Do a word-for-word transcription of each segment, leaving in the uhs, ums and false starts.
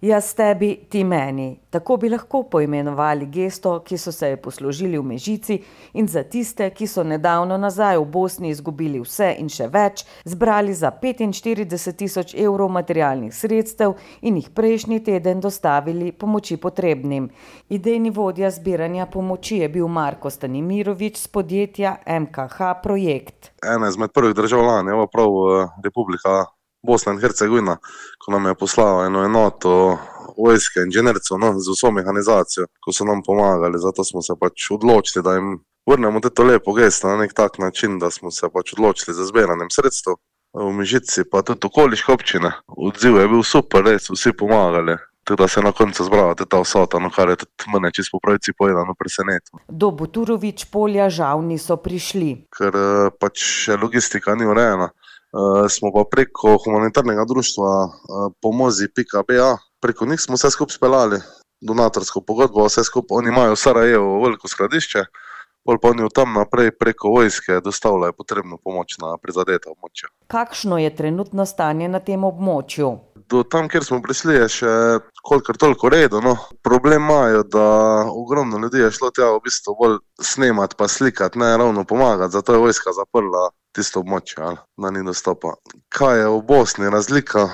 Jaz tebi, ti meni. Tako bi lahko poimenovali gesto, ki so se je poslužili v Mežici in za tiste, ki so nedavno nazaj v Bosni izgubili vse in še več, zbrali za petinštirideset tisoč evrov materialnih sredstev in jih prejšnji teden dostavili pomoči potrebnim. Idejni vodja zbiranja pomoči je bil Marko Stanimirovič z podjetja M K H Projekt. Ena izmed prvih državljanov je prav Republika Bosna in Hercegovina, ko nam je poslala eno enoto vojske inženircev, no, z vso mehanizacijo, ko so nam pomagali. Zato smo se pač odločili, da jim vrnemo to lepo gesto na nek tak način, da smo se pač odločili za zbiranjem sredstev. V Mežici pa tudi okoliške občine. Odziv je bil super, res vsi pomagali. Tako da se je na koncu zbrala ta vsota, no, kar je tudi mene čisto po pravici povedano presenetilo. Do Buturovič polja žal niso prišli. Ker pač logistika ni urejena. Uh, smo pa preko humanitarnega društva uh, pomozi pika be a, preko njih smo vse skupaj speljali, donatorsko pogodbo, vse skupaj, oni imajo v Sarajevo veliko skladišče, pol pa oni tam naprej preko vojske dostavljajo potrebno pomoč na prizadeta območja. Kakšno je trenutno stanje na tem območju? Do tam, kjer smo prišli, je še kolikor toliko redo, no. Problem imajo, da ogromno ljudi je šlo tja v bistvu bolj snemati pa slikati, ne ravno pomagati, zato je vojska zaprla tisto območje, da ni dostopa. Kaj je v Bosni razlika,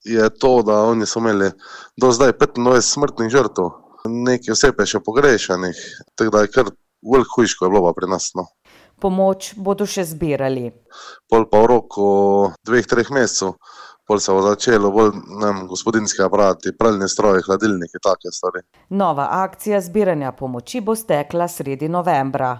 je to, da oni so imeli do zdaj petindvajset smrtnih žrtev, nekaj oseb je še pogrešanih, tako da je kar veliko hujško je bilo pa pri nas, no. Pomoč bodo še zbirali. Pol pa v roku dveh, treh mesecev, pol se bo začelo bolj, ne vem, gospodinjski aparati, pralni stroji, hladilniki, take stvari. Nova akcija zbiranja pomoči bo stekla sredi novembra.